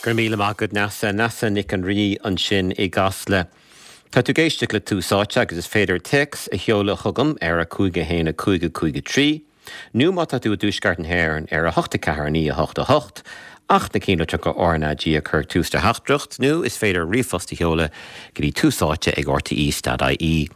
Go raibh míle maith agat Neasa. Neasa Nic an Rí ansin i gCasla. Tá tú ag éisteacht le Tús Áite agus is féidir téacs a sheoladh chugam ar 5 1 5 5 3 nó má tá tú i dTuaisceart na hÉireann ar 8 4 9 8 8 ach na cinnlitreacha RnaG a chur ag tús do theachtaireacht nó is féidir ríomhphost a sheoladh go dtí túsáite ag rte.ie.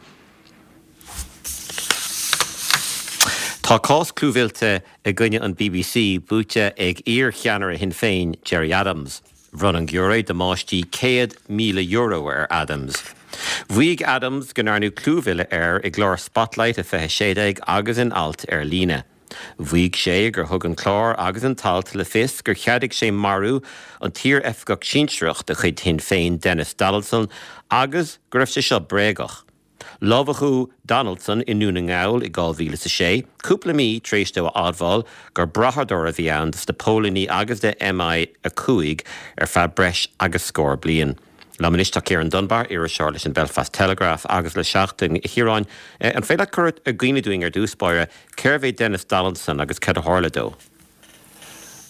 Tá cás clúmhillte i gcoinne an bbc buaite ag iar-cheannaire Shinn Féin, Gerry Adams. Bhronn an giúiré damáistí €100,000 ar Adams. Mhaígh Adams go ndearnadh clúmhilleadh air i gclár Spotlight i 2016 agus in alt ar líne. Mhaígh sé gur thug an clár agus an t-alt le fios gur cheadaigh sé marú an t-iar-oifigeach sinsearach de chuid Shinn Féin Denis Donaldson agus go raibh sé seo bréagach. Lámhachadh Donaldson i nDún na nGall i 2006, cúpla mí tar éis dó a admháil gur brathadóir a bhí ann dos na póilíní agus do MI5 ar feadh breis agus scór bliain. Liom anois tá Ciarán Dunbar, iriseoir leis an Belfast Telegraph agus le Seachtain. A Chiaráin, an féidir leat cur i gcuimhne dúinn ar dtús báire cérbh é Denis Donaldson agus cad a tharla dó?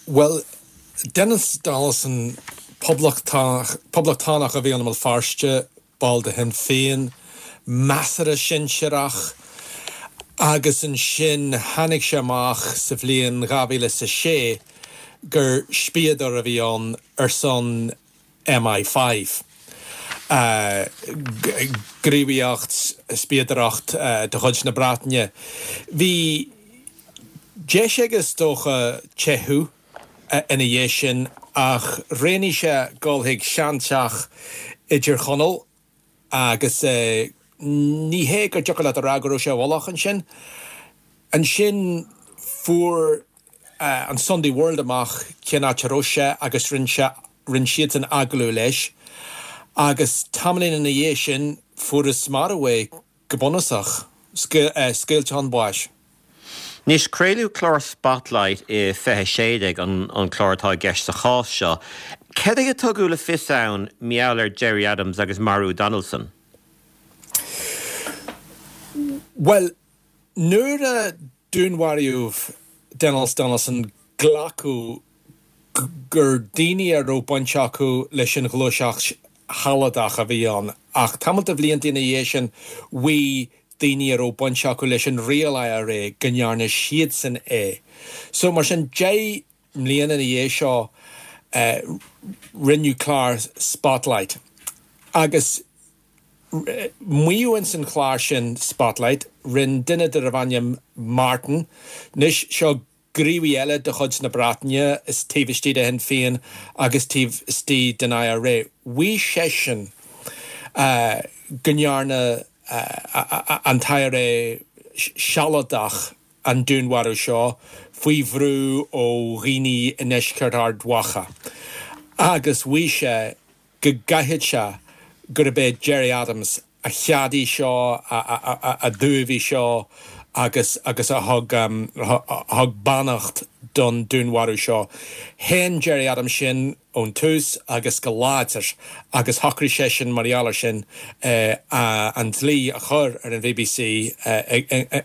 Bhuel, Denis Donaldson, poblachtánach a bhí ann i mBéal Feirste, ball de Shinn Féin, measartha sinsearach, agus ansin tháinig sé amach sa bhliain 2006 gur spiadóir a bhí ann ar son MI5, gníomhaíocht spiadóireacht de chuid na Breataine. Bhí deis aige is dócha teitheadh. ina dhiaidh sin ach roghnaigh sé dul chuig seanteach i dTír Chonaill agus ní hé gur deacair leat a rá go raibh sé i bhfolach ansin. Ansin fuair an Sunday World amach cén áit a raibh sé agus rinne sé, rinne siadsan agallamh leis agus tamaillín ina dhiaidh sin fuarthas marbh é. Go bunúsach, scaoilte chun báis. Anois, craoladh clár Spotlight i 2016, an clár atá i gceist sa chás seo. Cad é a tugadh le fios ann mar gheall ar Gerry Adams agus marú Donaldson? Bhuel, nuair a dúnmharaíodh Denis Donaldson glacadh gur daoine a raibh baint acu leis an ghluaiseacht shealadach a bhí ann ach tamall de bhlianta ina dhiaidh sin mhaígh daoine a raibh baint acu leis an Real IRA go ndearna siadsan é. So mar sin 10 mbliana ina dhiaidh seo rinneadh clár Spotlight agus Maíodh ins an chlár sin Spotlight, rinne duine darbh ainm Martin, anois seo gníomhaí eile de chuid na Breataine is taobh istigh de Shinn Féin agus taobh istigh den IRA, mhaígh seisean go ndearna an t-IRA sealadach an dúnmharú seo faoi bhrú ó dhaoine i ndeisceart Ard Mhacha agus mhaígh sé go gcaithfeadh sé gurb é Gerry Adams a cheadaigh seo, a d'ullmhaigh seo agus agus a thug thug beannacht don dúnmharú seo. Shéan Gerry Adams sin ón tús agus go láidir agus shocraigh seisean mar gheall ar sin an dlí a chur ar an bbc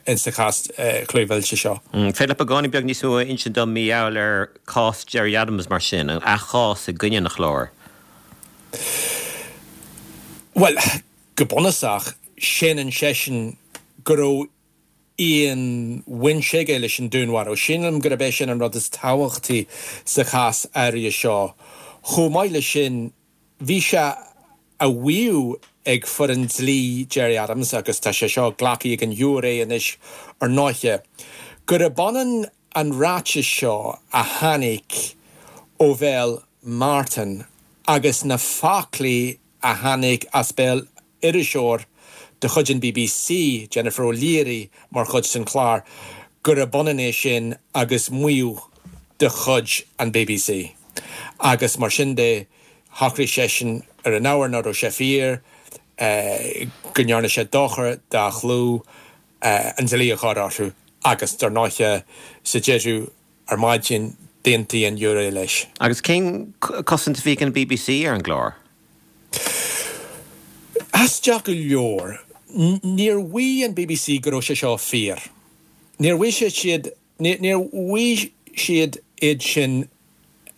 insa chás clúmhillte seo. Féidir leat beagáinín beag níos mó a insint dom mar gheall ar cás Gerry Adams mar sin, a chás i gcoinne an chláir? Bhuel, go bunúsach, séanann seisean go raibh aon bhaint aige leis an dúnmharú. Sílim gurb é sin an rud is tábhachtaí sa chás áirithe seo. Chomh maith leis sin, bhí sé á mhaíomh ag foireann dlí Gerry Adams, agus tá sé seo glactha ag an ghiúiré anois ar ndóiche, gurb ionann an ráiteas seo a tháinig ó bhéal Martin agus na foclaí a tháinig as béal iriseoir de chuid an bbc, Jennifer O'Leary, mar chuid den chlár, gurb ionann é sin agus maíomh de chuid an bbc. Agus mar sin de, shocraigh seisean ar an ábhar nach raibh sé fíor, go ndearna sé dochar dá chlú, an dlí a chur orthu agus, dar ndóiche, sa deireadh ar maidin, d'aontaigh an giúiré leis. Agus cén cosaint a bhí ag an bbc ar an gclár? Aisteach go leor, níor mhaígh an bbc go raibh sé seo fíor. Níor mhaígh siad, níor mhaígh siad iad sin.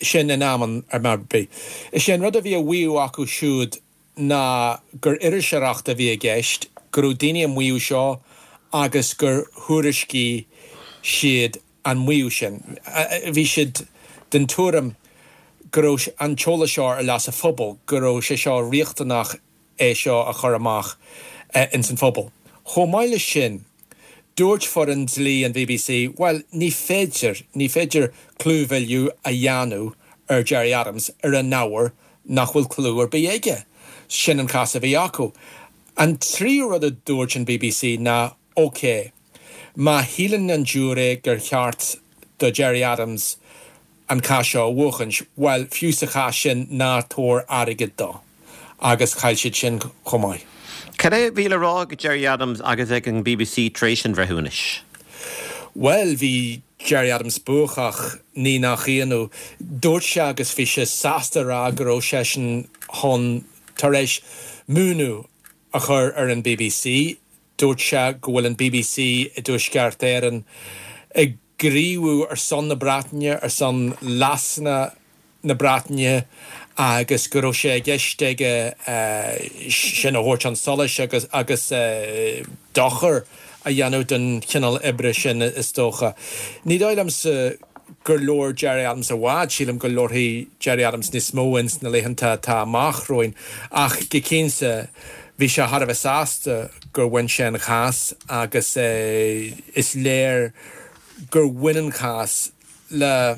sin in am ar bith. Is é an rud a bhí á mhaíomh acu siúd ná gur iriseoireacht a bhí i gceist, go raibh daoine ag maíomh seo agus gur thuairiscigh siad an maíomh sin. Bhí siad den tuairim go raibh an t-eolas seo ar leas an phobail, go raibh sé seo riachtanach é seo a chur amach ins an phobal. Chomh maith leis sin, dúirt foireann dlí an bbc, bhuel, ní féidir, ní féidir clúmhilleadh a dhéanamh ar Gerry Adams ar an ábhar nach bhfuil clú ar bith aige. Sin an cás a bhí acu. An tríú rud a dúirt an bbc ná, ok, má shíleann an giúiré gur cheart do Gerry Adams an cás seo a bhuachaint, bhuel, fiú sa chás sin, ná tabhair airgead dó. Agus chaill siad sin chomh maith. Cad é a bhí le rá ag Gerry Adams agus ag an bbc tar éis an bhreithiúnais? Bhuel, bhí Gerry Adams buacach, ní nach ionadh. Dúirt sé agus bhí sé sásta a rá go raibh seisean chun, tar éis múineadh a chur ar an bbc. Dúirt sé go bhfuil an bbc i dTuaisceart Éireann ag gníomhú ar son na Breataine, ar son leasanna na Breataine agus go raibh sé i gceist aige sin a thabhairt chun solais agus agus dochar a dhéanamh don chineál oibre sin is dócha. Ní dóigh liomsa gur labhair Gerry Adams i bhfad, sílim go labharfaidh Gerry Adams níos mó ins na laethanta atá amach romhainn ach go cinnte bhí sé thar a bheith sásta gur bhain sé an chás agus is léir gur bhain an chás le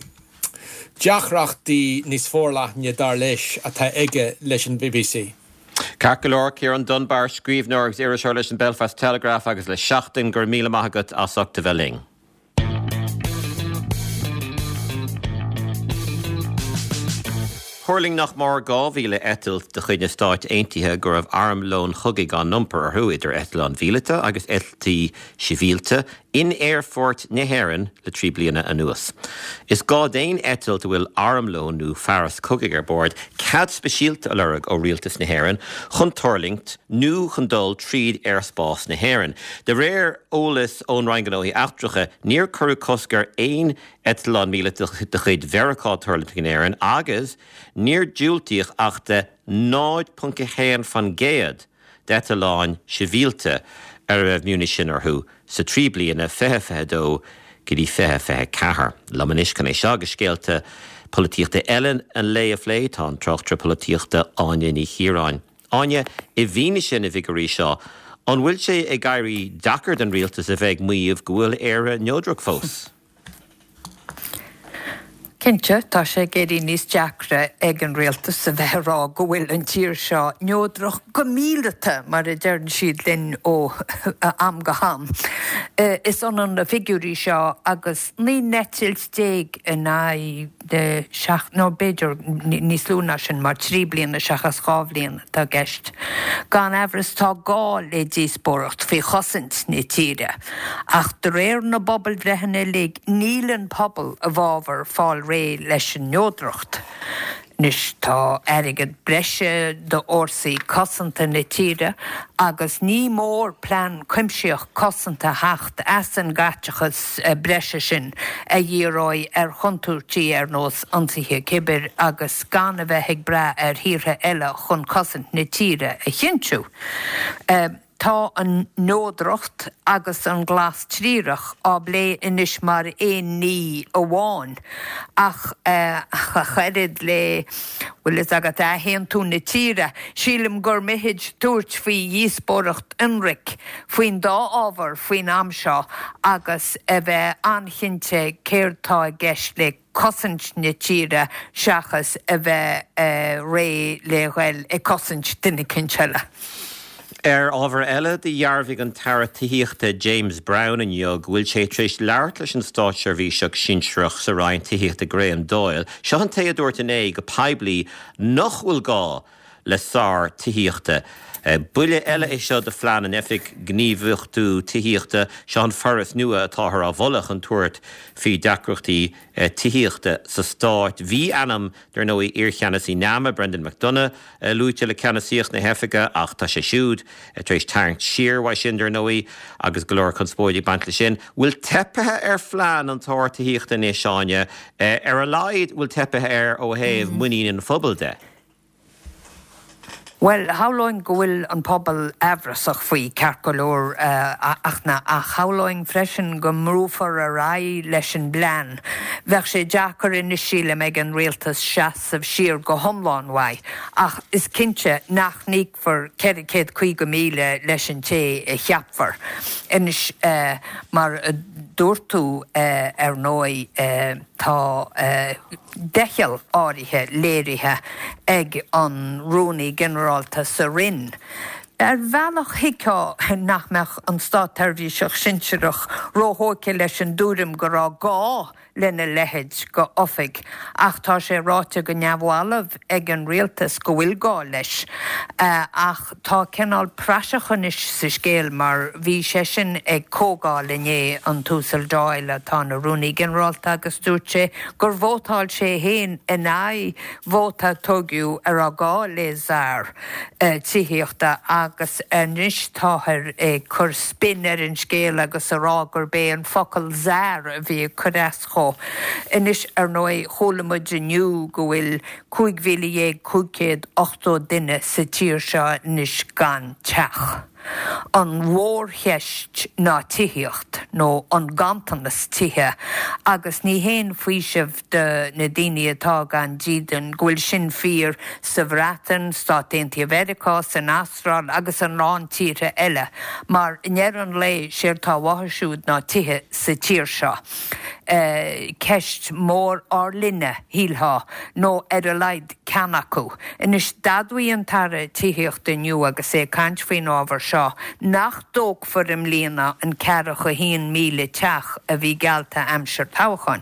deacrachtaí níos forleithne, dar leis, atá aige leis an bbc. Ceart go leor, Ciarán Dunbar, scríbhneoir agus iriseoir leis an Belfast Telegraph agus le Seachtain, go raibh míle maith agat as ucht a bheith linn. Thuirling nach mór 2,000 eitilt de chuid na Stáit Aontaithe go raibh armlón chogaidh á n-iompar orthu, idir eitleáin mhíleata agus eitiltí sibhialta, in aerfoirt na hÉireann le 3 bliana anuas. Is gá d'aon eitilt a bhfuil armlón nó fearas cogaidh ar bord cead speisialta a lorg ó Rialtas na hÉireann chun tuirlingt nó chun dul tríd aerspás na hÉireann. De réir eolas ón Roinn Gnóthaí Eachtracha, níor cuireadh cosc ar aon eitleán míleata de chuid Mheiriceá tuirlingt in Éirinn agus níor diúltaíodh ach do 0.1% d'eitleáin shibhialta ar a raibh miunisin orthu sa 3 bliana 2022 go dtí 2024. Liom anois chun é seo agus scéalta polaitíochta eile an lae a phlé tá an tráchtaire polaitíochta Áine Ní Chiaráin. Áine, i bhfianaise na bhfigiúirí seo, an bhfuil sé ag éirí deacair don rialtas a bheith ag maíomh go bhfuil Éire neodrach fós? Cinnte, tá sé ag éirí níos deacra ag an rialtas a bheith ag rá go bhfuil an tír seo neodrach go míleata, mar a deireann siad linn ó am go ham. Is ionann na figiúirí seo agus 19 n-eitilt in aghaidh na seacht, nó b'fhéidir níos lú ná sin, mar 3 bliana seachas 2 bhliain atá i gceist. Gan amhras tá gá le díospóireacht faoi chosaint na tíre, ach de réir na bpobalbhreitheanna uilig níl an pobal i bhfabhar fáil réidh leis an neodracht. Anois tá airgead breise d'fhórsaí cosanta na tíre agus ní mór plean cuimsitheach cosanta a theacht as an gcaiteachas breise sin a dhíreoidh ar chontúirtí ar nós ionsaithe cibir agus gan a bheith ag brath ar thíortha eile chun cosaint na tíre a chinntiú. Tá an neodracht agus an glas triarach á bplé anois mar aon ní amháin, ach ach oiread le, bhfuil fhios agat, athaontú na tíre, sílim gur mithid tabhairt faoi dhíospóireacht ionraic faoin dá ábhar faoin am seo agus a bheith an-chinnte céard tá i gceist le cosaint na tíre seachas a bheith réidh le ghoil ag cosaint duine eicínt eile. Ar ábhar eile, do dhearbhaigh an tAire Tithíochta James Browne inniu go bhfuil sé tar éis labhairt leis an státseirbhíseach sinsearach sa Roinn Tithíochta Graham Doyle. Seo an té a dúirt inné go poiblí nach bhfuil gá le sár tithíochta. Buille eile é seo do phlean an Oifig Gníomhachtú Tithíochta, seo an foras nua atáthar á mholadh chun tabhairt faoi deacrachtaí tithíochta sa stát. Bhí ainm, dar ndóigh, iarcheannasaí NAMA, Brendan McDonagh, luaite le ceannasaíocht na hoifige ach tá sé siúd tar éis tarraingt siar uaidh sin, dar ndóigh, agus go leor conspóide ag baint leis sin. Bhfuil teipthe ar phlean an tSaor Tithíochta anois, Áine? Ar a laghad, bhfuil teipthe air ó thaobh muinín an phobail de? Bhuel, shamhlóinn go bhfuil an pobal aimhreasach faoi, ceart go leor, ach ach shamhlóinn freisin go mbrúfar ar aghaidh leis an bplean. Bheadh sé deacair anois, sílim, ag an rialtas seasamh siar go hiomlán uaidh, ach is cinnte nach n-íocfar 450,000 leis an té a cheapfar. Anois, mar a dúirt tú, ar ndóigh, tá. doicheall áirithe léirithe ag an Rúnaí Ginearálta sa Roinn. Ar bhealach thuigfeá nach mbeadh an státsheirbhíseach sinsearach róthógtha leis an dtuairim go raibh gá lena leithéid de oifig ach tá sé ráite go neamhbhalbh ag an rialtas go bhfuil gá leis. Ach tá cineál praiseach anois sa scéal mar bhí seisean ag comhdháil inné, an tUasal Doyle atá ina Rúnaí Ginearálta agus dúirt sé gur vótáil sé féin in aghaidh vóta a tugadh a raibh gá le Czar tithíochta agus anois táthar ag cur spin ar an scéal agus a rá gurb é an focal Czar a bhí ag cur as dhó. Anois ar ndóigh chuala muid inniu go bhfuil 15,580 duine sa tír seo anois gan teach. An mhórcheist ná tithíocht, nó an ganntanas tithe, agus ní haon faoiseamh do na daoine atá gan dídean go bhfuil sin fíor sa Bhreatain, Stáit Aontaithe Mheiriceá, san Astráil agus a lán tíortha eile, mar i ndeireadh an lae, séard tá uathu siúd ná tithe sa tír seo. Ceist mhór ár linne, shílfeá, nó ar a laghad ceann acu. Anois, d'admhaigh an tAire Tithíochta inniu agus é ag caint faoin ábhar seo nach dtógfar i mbliana an ceathracha haon 1,000 teach a bhí geallta aimsir toghcháin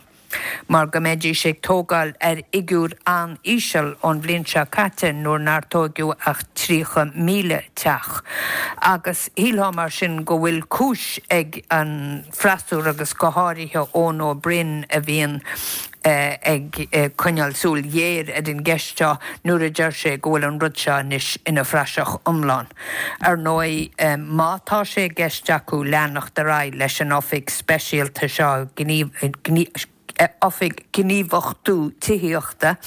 mar go mbeidís ag tógáil ar fhigiúr an-íseal ón bhliain seo caite nuair nár tóigeadh ach 30,000 teach. Agus shílfeá mar sin go bhfuil cúis ag an freasúra agus go háirithe Eoin Ó Broin a bhíonn ag coinneáil súil ghéar ar an gceist seo nuair a deir sé go bhfuil an rud seo anois ina phraiseach iomlán. Ar ndóigh, má tá sé i gceist acu leanacht ar aghaidh leis an oifig speisialta seo, Oifig Gníomhachtú Tithíochta,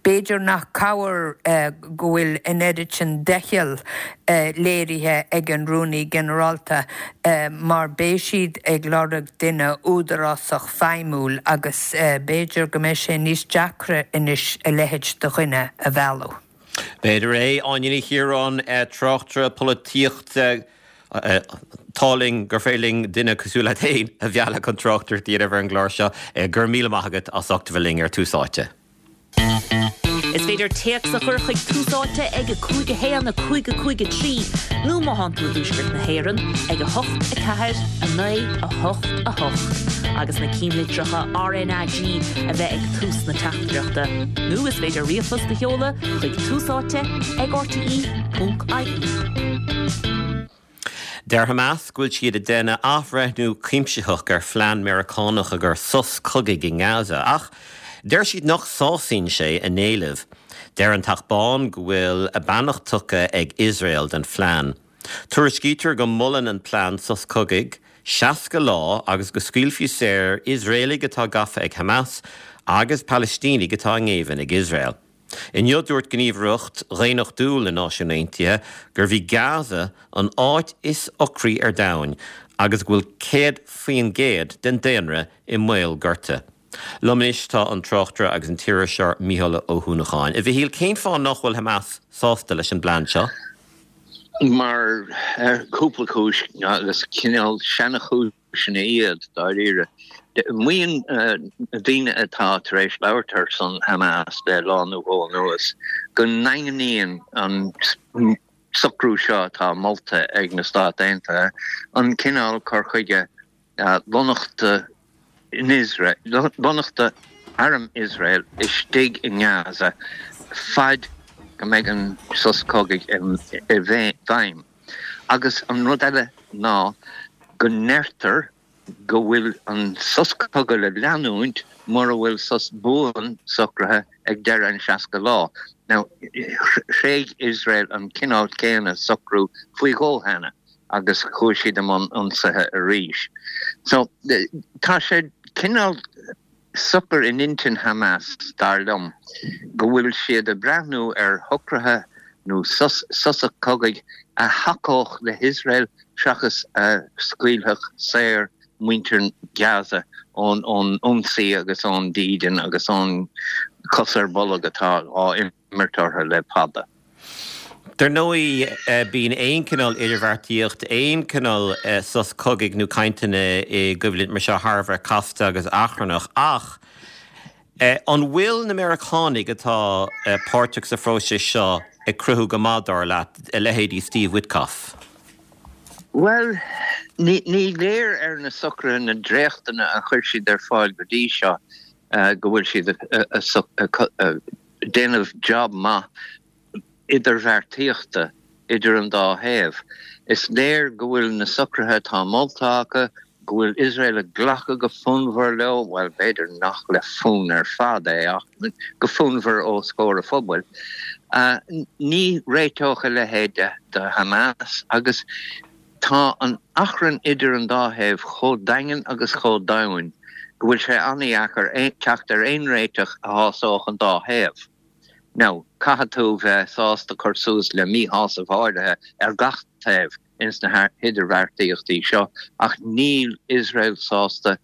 b'fhéidir nach cabhair go bhfuil an oiread sin doichill léirithe ag an Rúnaí Ginearálta mar beidh siad ag lorg duine údarásach feidhmiúil agus b'fhéidir go mbeidh sé níos deacra anois a leithéid de dhuine a mhealladh. B'fhéidir é. Áine Ní Chiaráin, tráchtaire polaitíochta. Tá linn gur féidir linn duine cosúil leat féin a mhealladh chun tráchtaireacht a dhéanamh ar an gclár seo. Go raibh míle maith agat as ucht a bheith linn ar Tús Áite. Is féidir téacs a chur chuig Tús Áite ag 5 1 5 5 3 nó má thánn tú i dTuaisceart na hÉireann ag 8 4 9 8 8 agus na cinnlitreacha RnaG a bheith ag tús na teachtaireachta. Nó is féidir ríomhphost a sheoladh chuig Tús Áite ag rte.ie. Deir Hamas go bhfuil siad ag déanamh athbhreithniú cuimsitheach ar phlean Meiriceánach a chuir sos cogaidh i nGaza, ach deir siad nach sásaíonn sé a n-éilimh. Deir an Teach Bán go bhfuil a beannacht tugtha ag Iosrael don phlean. Tuairiscítear go molann an plean sos cogaidh 60 lá agus go scaoilfí saor Iosraelaigh atá gafa ag Hamas agus Palaistínigh atá i ngéibheann ag Iosrael. Inniu dúirt Gníomhaireacht Dhaonnachtúil na Náisiún Aontaithe gurbh í Gaza an áit is ocraí ar domhain agus go bhfuil 100% den daonra i mbaol gorta. Liom anois tá an tráchtaire agus an t-iriseoir Mícheál Ó hUanacháin. A Mhichíl, cén fáth nach bhfuil Hamas sásta leis an bplean seo? Mar cúpla cúis agus cineál seanchúis. Sin iad, dáiríre. Maíonn na daoine atá tar éis labhairt ar son Hamas le lá nó dhó anuas go ndaingníonn an socrú seo atá molta ag na Stáit Aontaithe an cineál cur chuige lonnaíochta in Iosrael, lonnaíochta arm Iosrael istigh i nGaza faid. go mbeidh an sos cogaidh i bhfeidhm. Agus an rud eile ná go ndeirtear go bhfuil an sos cogaidh le leanúint mura bhfuil sos buan socraithe ag deireadh an 60 lá. Now, thréig Iosrael an cineál céanna socrú faoi dhó cheana agus chuaigh siad i mbun ionsaithe arís. So, tá sé cineál socair in intinn Hamas, dar liom, go bhfuil siad ag breathnú ar shocruithe nó sosa cogaidh a thacódh le hIosrael seachas a scaoilfeadh saor muintir Gaza ón ionsaí agus ón dídean agus ón cos ar bolg atá á imirt orthu le fada. Dar ndóigh, bíonn aon chineál idirbheartaíocht, aon chineál sos cogaidh nó cainteanna i gcoimhlint mar seo thar a bheith casta agus achrannach. Ach an bhfuil na Meiriceánaigh atá páirteach sa phróiseas seo ag cruthú go maith, dar leat, a leithéidí Steve Witkoff? Bhuel, ní léir ar na socruithe, na dréachtanna a chuir siad ar fáil go dtí seo go bhfuil siad ag déanamh jab maith idirbheartaíochta idir an dá thaobh. Is léir go bhfuil na socruithe atá molta acu, go bhfuil Iosrael ag glacadh go fonnmhar leo, bhuel, b'fhéidir nach le fonn ar fad é, ach go fonnmhar os comhair an phobail. Ní réiteodh a leithéid do Hamas agus tá an achrann idir an dá thaobh chomh daingean agus chomh domhain go bhfuil sé an-dheacair teacht ar aon réiteach a shásódh an dá thaobh. Now, caithfidh tú bheith sásta cur suas le míshásamh áirithe ar gach taobh ins na hidirbheartaíochtaí seo ach níl Iosrael sásta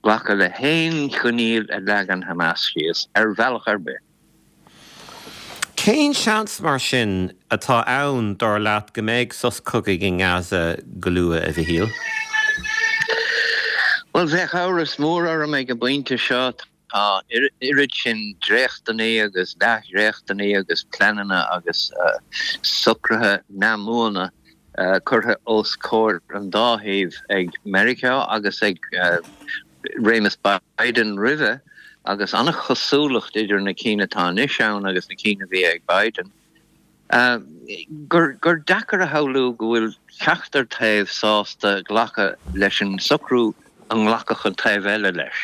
glacadh le haon choinníoll a leagann Hamas síos, ar bhealach ar bith. Cén seans, mar sin, atá ann, dar leat, go mbeidh sos cogaidh i nGaza go luath, a Mhichíl? Bhuel, bheadh amhras mór orm ag an bpointe seo. Tá oiread sin dréachtanna agus leathdhréachtanna agus pleananna agus socruithe neamhbhuana curtha os comhair an dá thaobh ag Meiriceá agus ag réimeas Biden roimhe agus an-chosúlacht idir na cinn atá anois ann agus na cinn a bhí ag Biden. gur deacair a shamhlú go bhfuil ceachtar taobh sásta glacadh leis an socrú a nglacfadh an taobh eile leis.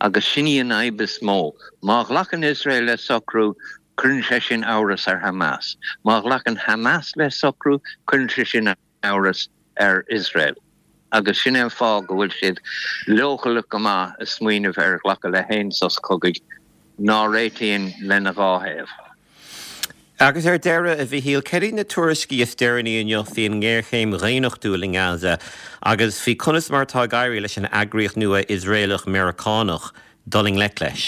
Agus sin í an fhadhb is mó. Má ghlacann Iosrael le socrú, cuireann sé sin amhras ar Hamas. Má ghlacann Hamas le socrú, cuireann sé sin amhras ar Iosrael. Agus sin é an fáth go bhfuil siad leochaileach go maith ag smaoineamh ar ghlacadh le haon sos cogaidh ná réitíonn lena dhá thaobh. Agus ar deireadh, a Mhichíl, cad iad na tuairiscí is deireanaí inniu faoin ngéarchéim dhaonnachtúil i nGaza agus faoi conas mar atá ag éirí leis an eagraíocht nua Iosraelach-Meiriceánach dul i ngleic leis?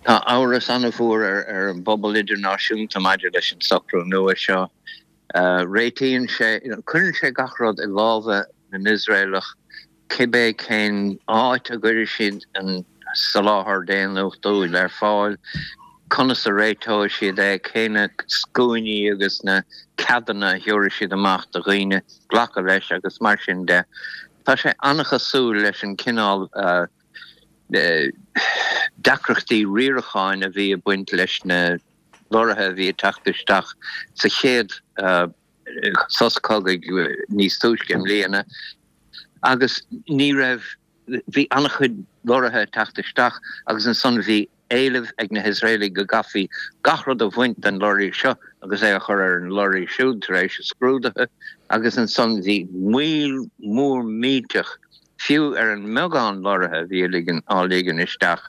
Tá amhras an-mhór ar an bpobal idirnáisiúnta maidir leis an socrú nua seo. Réitíonn sé, cuireann sé gach rud i lámha na nIosraelach, cibé cén áit a gcuirfidh siad an soláthar daonnachtúil ar fáil, conas a réiteoidh siad é, cé na scuainí agus na ceadanna a thabharfaidh siad amach do dhaoine glacadh leis agus mar sin de. Tá sé an-chosúil leis an cineál deacrachtaí riaracháin a bhí ag baint leis na lorraithe a bhí ag teacht isteach sa chéad sos cogaidh níos túisce i mbliana agus ní raibh, bhí an-chuid lorraithe ag teacht isteach agus ansan bhí éileamh ag na hIosraelaigh go gcaithfí gach rud a bhaint den lorraí seo agus é a chur ar an lorraí siúd tar éis a scrúdaithe agus ansan bhí moill mhór millteach fiú ar an mbeagán lorraithe a bhí á ligean isteach.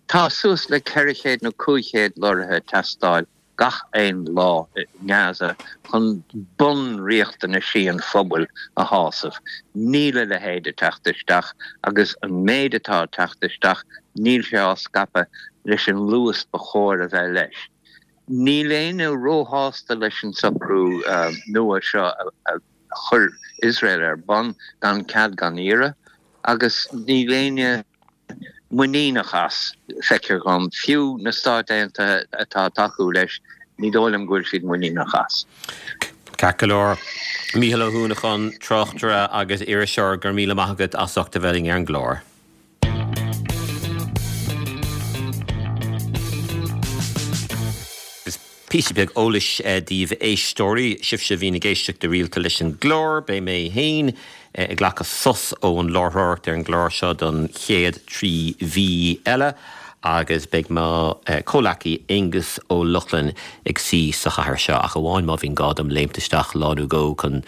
Tá suas le 400 nó 500 lorraithe ag teastáil gach aon lá i nGaza chun bunriachtanaisí an phobail a shásamh. Níl a leithéid ag teacht isteach agus an méid atá ag teacht isteach níl sé á scaipeadh leis an luas ba chóir a bheith leis. Níl éinne róshásta leis an socrú nua seo a chuir Iosrael ar bun gan cead gan iarraidh agus níl éinne muiníneach as, feictear dhom. Fiú na Stáit Aontaithe atá ag tacú leis, ní dóigh liom go bhfuil siad muiníneach as. Ceart go leor. Mícheál Ó hUanacháin, tráchtaire agus iriseoir, go raibh míle maith agat as ucht a bheith linn ar an gclár. Píosa beag eolais daoibh a éisteoirí, sibhse a bhíonn ag éisteacht go rialta leis an gclár, beidh mé féin ag glacadh sos ón láithreoireacht ar an gclár seo don chéad 3 mhí eile agus beidh mo chomhleacaí Aengus Ó Lochlainn ag suí sa chathaoir seo, ach amháin má bhíonn gá dom léimt isteach lá nó dhó chun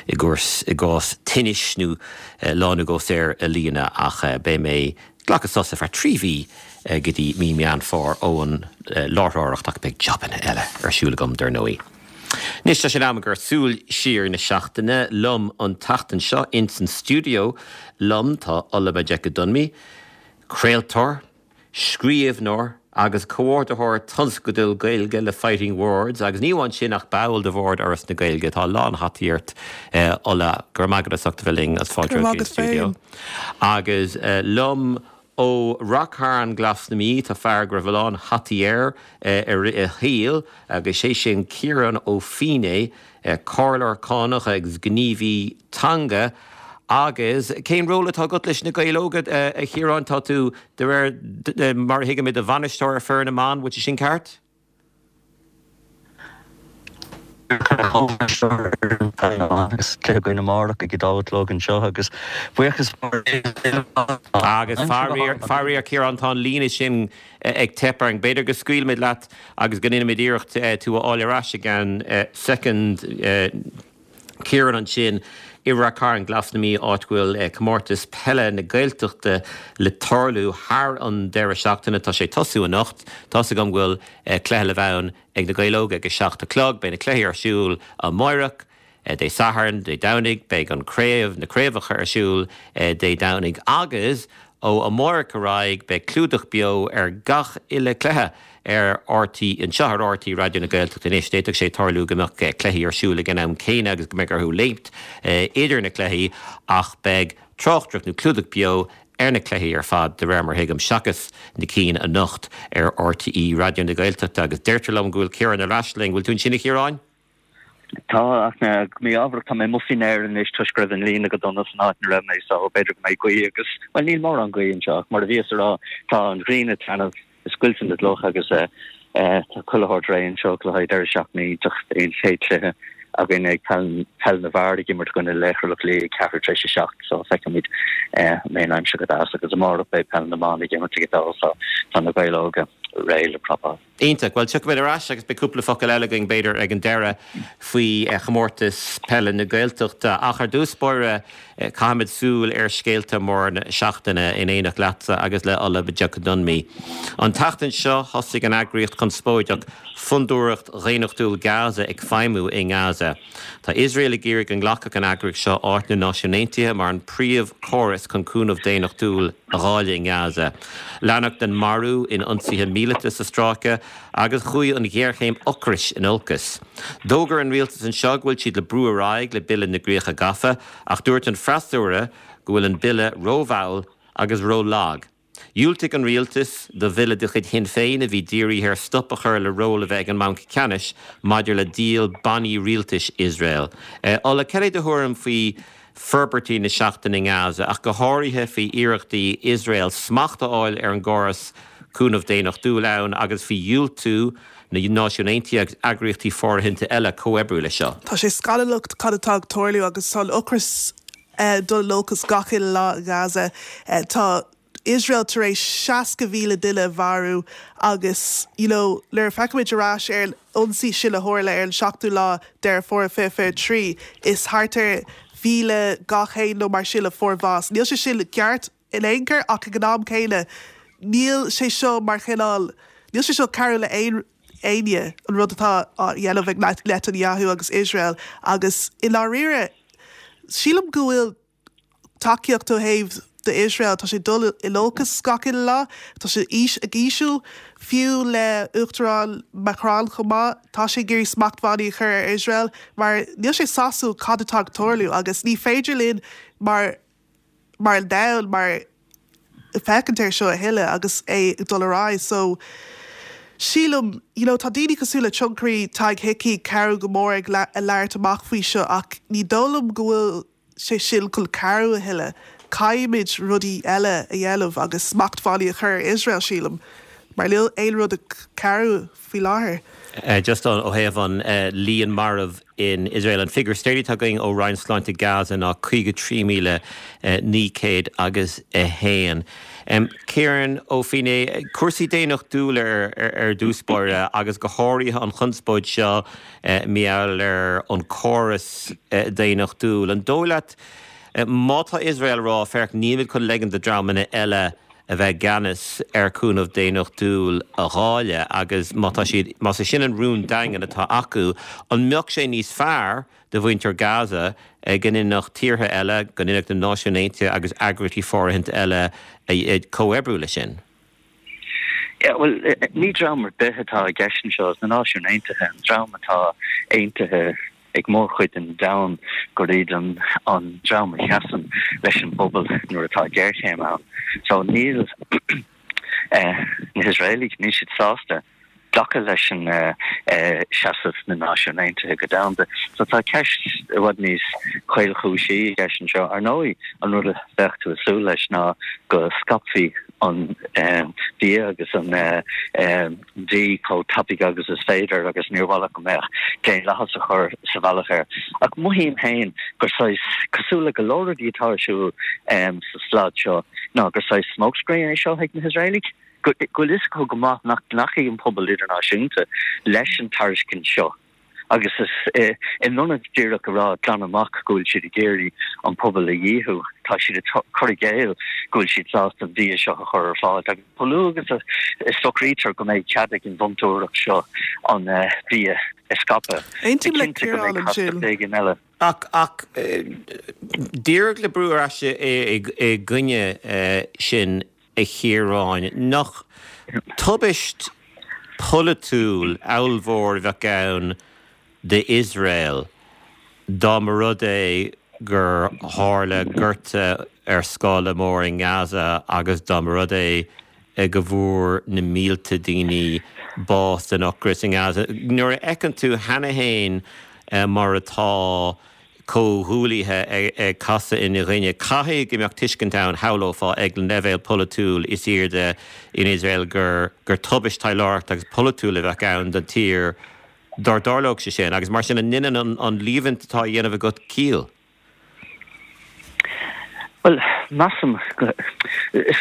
i gcás tinnis nó lá nó dhó saor a líonadh ach beidh mé glacadh sos ar feadh 3 mhí go dtí mí Meán Fómhair ón láithreoireacht ach beidh jabanna eile ar siúl agam dar ndóigh. Anois tá sé in am ag Súil Siar na Seachtaine. Liom an tseachtain seo ins an stiúideo liom tá Ola Majekodunmi, craoltóir, scríbhneoir agus comhordaitheoir tionscadail Gaeilge le Fighting Words agus ní amháin sin ach ball de bhord Fhoras na Gaeilge. Tá a lán hataí ort Ola. Go raibh maith agat as ucht a bheith linn agus fáilte romhat go dtí an stiúideo. Agus liom ó Rath Cairn Glas na Mí tá fear go raibh a lán hataí air i rith a shaoil agus sé sin Ciarán Ó Feinneadha, comhairleoir cánach agus gníomhaí teanga. Agus cén ról atá agat leis na Gaeil Óga, a Chiaráin? Tá tú, de réir mar a thuigim, i do bhainisteoir ar foireann na mban, bhfuil sé sin ceart? Agus cluiche againn amárach ag a dó a chlog anseo agus buíochas mór Agus faraor, faraor Ciarán, tá an líne sin ag teip orainn. B'fhéidir go scaoilfimid leat agus go ndéanfaimid iarracht tú a fháil ar ais i gceann soicind. Ciarán ansin i Rath Cairn, Glas na Mí, áit go bhfuil Comórtas Peile na Gaeltachta le tarlú thar an deireadh seachtaine. Tá sé ag tosú anocht. Tá's agam go bhfuil cluiche le bheith ann ag na Gaeil Óga ag a 7 a chlog. Beidh na cluichí ar siúl amáireach, Dé Sathairn, Dé Domhnaigh. Beidh an craobh, na craobhacha ar siúl Dé Domhnaigh agus ó amáireach ar aghaidh beidh clúdach beo ar gach uile cluiche ar RTÉ, anseo ar RTÉ Raidió na Gaeltachta anois. D'fhéadfadh sé tarlú go mbeadh cluichí ar siúl ag an am céanna agus go mbeadh orthu léimt idir na cluichí ach beidh tráchtaireacht nó clúdach beo ar na cluichí ar fad, de réir mar a thuigim, seachas na cinn anocht ar RTÉ Raidió na Gaeltachta. Agus deirtear liom go bhfuil Ciarán ar ais linn. Bhfuil tú ansin, a Chiaráin? Tá, ach go mí-ámharach tá mé amuigh faoin aer anois toisc go raibh an líne go dona san áit ina raibh mé so b'fhéidir go mbeidh gaoth agus, bhuel níl mórán gaoth anseo ach mar a bhíos a rá tá an ghrian ag taitneamh, ag scoilteadh na gcloch agus tá chuile shórt réidh anseo le haghaidh deireadh seachtaine iontach. Beidh an chéad chluiche againn ag peil peil na bhfear ag imirt i gcoinne Laochra Loch Lao ag ceathrú tar éis a 7 so feicfimid an mbeidh an aimsir go deas agus amárach beidh peil na mban ag imirt ag a dó so tá na Gaeil Óga réidh le prapáil. Iontach. Bhuel, tiocfaimid ar ais agus beidh cúpla focal eile againn, b'fhéidir, ag an deireadh faoi chomórtas peile na Gaeltachta. Ach ar dtús báire, caithfimid súil ar scéalta móra na seachtaine in éineacht leatsa agus le Ola Majekodunmi. An tseachtain seo, thosaigh an eagraíocht chonspóideach Fondúireacht Dhaonnachtúil Gaza ag feidhmiú i nGaza. Tá Iosrael ag iarraidh go nglacfadh an eagraíocht seo áit na Náisiún Aontaithe mar an príomhchóras chun cúnamh daonnachtúil a dháileadh i nGaza. Leanadh den marú in ionsaithe míleata sa stráice agus chuaigh an ghéarchéim ocrais in olcas. D'fhógair an rialtas anseo go bhfuil siad le brú ar aghaidh le Bille na gCríocha Gafa ach dúirt an freasúra go bhfuil an bille rómhall agus rólag. Dhiúltaigh an rialtas do bhille de chuid Shinn Féin a bhí dírithe ar stop a chur le ról a bheith ag an mBanc Ceannais maidir le díol bannaí rialtais Iosrael. Ola, cad é do thuairim faoi forbairtí na seachtaine i nGaza, ach go háirithe faoi iarrachtaí Iosrael smacht a fháil ar an gcóras cúnamh daonnachtúil ann agus faoi dhiúltú na Náisiún Aontaithe agus eagraíochtaí fóirithinte eile comhoibriú leis seo? Tá sé scannalach cad atá ag tarlú agus tá an ocras ag dul in olcas gach uile lá i nGaza. Tá Iosrael tar éis 60,000 duine a mharú agus you know nuair a feicimid ar ais ar an ionsaí sin a tharla ar an seachtú lá Deireadh Fómhair 2023, is thart ar 1,200 nó mar sin a fuair bhás. Níl sé sin ceart in aon chor ach ag an am céanna níl sé seo mar chineál, níl sé seo cabhrú le aon éinne, an rud atá á dhéanamh ag Netanyahu agus Iosrael agus i ndáiríre sílim go bhfuil tacaíocht ó thaobh d'Iosrael, tá sé ag dul in olcas gach uile lá, tá sé ag ísliú, fiú le Uachtarán Macron chomh maith, tá sé ag iarraidh smachtbhannaí a chur ar Iosrael mar níl sé sásúil cad atá ag tarlú agus ní féidir linn mar mar an domhan mar féachaint air seo a thuilleadh agus é ag dul ar aghaidh so sílim you know tá daoine cosúil le tionchairí Tadhg Hickey ag cabhrú go mór ag labhairt amach faoi seo ach ní dóigh liom go bhfuil sé sin chun cabhrú a thuilleadh. Caithfimid rudaí eile a dhéanamh agus smachtbhannaí a chur ar Iosrael sílim. Mar níl aon rud ag cabhrú faoi láthair. Just ó thaobh an líon marbh in Iosrael, an figiúr is deireanaí atá againn ó Roinn Sláinte Gaza ná 53,900 agus 1. Ciarán Ó Feinneadha, cúrsaí daonnachtúla ar dtús báire agus go háirithe an chonspóid seo mar gheall ar an córas daonnachtúil. An dóigh leat, má tá Iosrael ag rá, féach, nílimid chun leigean do dreamanna eile a bheith i gceannas ar chúnamh daonnachtúil a dháileadh agus má tá siad, más é sin an rún daingean atá acu, an mbeadh sé níos fearr do mhuintir Gaza go ndéanfadh tíortha eile, go ndéanfadh na Náisiúin Aontaithe agus eagraíochtaí fóirithint eile comhoibriú leis sin? Yeah, bhuel, ní dream ar bith atá i gceist anseo, is na Náisiúin Aontaithe, an dream atá aontaithe ag mórchuid den domhan gur iad an dream a sheasann leis an bpobal nuair atá géarchéim ann. So níl na hIosraelaigh, níl siad sásta glacadh leis an seasamh na Náisiún Aontaithe go domhanda. So tá ceist i bhfad níos caolchúisí i gceist anseo. Ar ndóigh, an rud a bheadh tú ag súil leis ná go scaipfí an bia agus an dí chomh tapaidh agus is féidir agus níor mhaith leat go mbeadh daonlathas á chur sa bhealach air. Ach mothaím féin gur saghas, cosúil le go leor rudaí atá ar siúl sa slad seo, ná gur saghas smokescreen é seo ag na hIosraelaigh. Go bhfuil fhios acu go maith nach nglacfaidh an pobal idirnáisiúnta leis an tairiscint seo. Agus is in ionad díreach a rá glan amach go bhfuil siad ag iarraidh an pobal a dhíothú, tá siad ag cur i gcéill go bhfuil siad sásta an bia seo a chur ar fáil. Agus chomh luath agus a socraítear go mbeidh cead ag an bhfondúireacht seo an bia a scaipeadh, Aontaím le cinnte go mbeidh Ciarán ansin. castacht éigin eile. Ach, ach, díreach le brú ar ais i gcoinne sin a Chiaráin, nach tubaist pholaitiúil ollmhór a bheadh ann d'Iosrael dá mba rud é gur tharla gorta ar scála mór i nGaza agus dá mba rud é go bhfuair na mílte daoine bás den ocras i nGaza. Nuair a fheiceann tú cheana féin mar atá comhghuaillithe ag casadh ina gcoinne. Caithfidh go mbeadh tuiscint ann, shamhlófá, ag an leibhéal polaitiúil is airde in Iosrael gur tubaist taidhleoireachta agus polaitiúil a bheadh ann don tír dá dtarlódh sé sin. Agus mar sin, an ndéanann an líomhaint atá á dhéanamh agat ciall? Bhuel, measaim go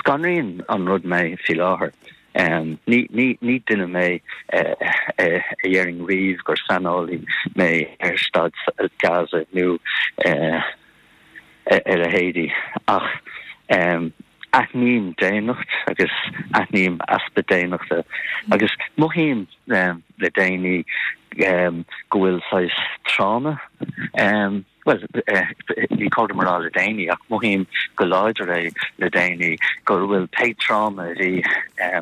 scanraíonn an rud mé faoi láthair. Ní duine mé a déarfainn riamh gur saineolaí mé ar staid Gaza nó a leithéidí ach aithním daonnacht agus aithním easpa daonnachta agus mothaím le déanaí go bhfuil saghas tráma Bhuel, ní cóir dom a rá le déanaí, ach mothaím go láidir é le déanaí, go bhfuil pé tráma a bhí a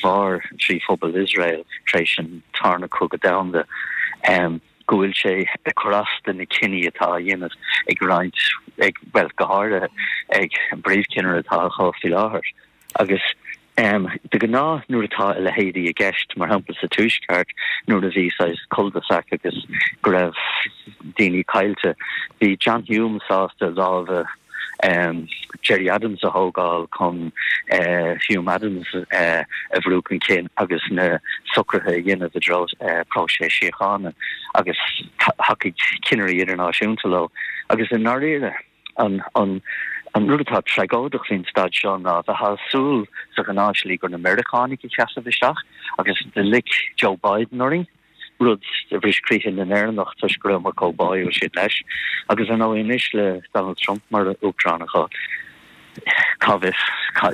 mhair trí phobal Iosrael tar éis an Tarna Cogadh Domhanda, go bhfuil sé ag cur as do na cinní atá á dhéanamh ag roinnt, ag, bhuel, go háirithe ag an bpríomhchinnire atá acu faoi láthair. Agus de ghnáth nuair atá a leithéidí i gceist, mar shampla sa Tuaisceart nuair a bhí saghas cul-de-sac agus go raibh daoine caillte, bhí John Hume sásta lámha Gerry Adams a thógáil chun Hume Adams a bhrú chun cinn agus na socruithe a dhéanamh i dtreo próiseas síochána agus thacaigh cinnirí idirnáisiúnta leo. Agus i ndáiríre. An rud atá tragóideach faoin staid seo ná bheifeá ag súil sa ghnáthshlí gur na Meiriceánaigh a sheasfadh isteach agus do loic Joe Biden orainn, rud a bhris croíthe na nÉireannach toisc go rabhamar chomh báúil sin leis. Agus ar ndóigh anois le Donald Trump mar Uachtarán acu, cá bhfios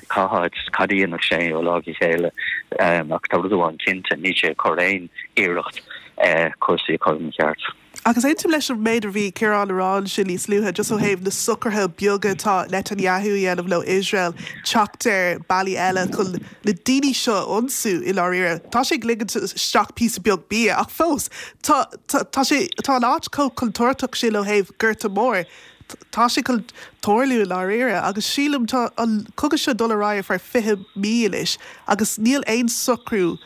cá háit, cad a dhéanfadh sé ó lá go chéile ach tá rud amháin cinnte, níl sé ag cur aon iarracht cúrsaí a chur ina cheart. Agus aontaím leis an méid a bhí Ciarán a rá ansin níos luaithe, just ó thaobh na socruithe beaga atá Netanyahu a dhéanamh le Iosrael teacht ar bealaí eile chun na daoine seo a ionsú i ndáiríre. Tá sé ag ligint isteach píosa beag bia ach fós tá tá sé tá an áit chomh contúirteach sin ó thaobh gorta mór. Tá sé chun tarlú i ndáiríre agus sílim tá an cogadh seo ag dul ar aghaidh ar feadh 20 mí anois agus níl aon socrú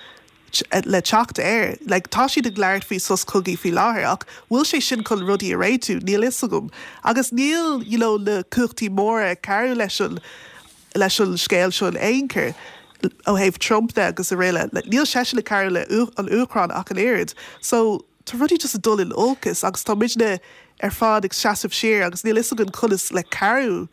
le teacht air. Like, tá siad ag labhairt faoi sos cogaidh faoi láthair ach bhfuil sé sin chun rudaí a réitiú? Níl fhios agam. Agus níl, you know, na cumhachtaí móra ag cabhrú leis an, leis an scéal seo in aon chor. ó thaobh Trump de agus araile, níl seisean ag cabhrú le an Úcráin ach an oiread. So tá rudaí just ag dul in olcas agus tá muidne ar fad ag seasamh siar agus níl fhios againn conas le cabhrú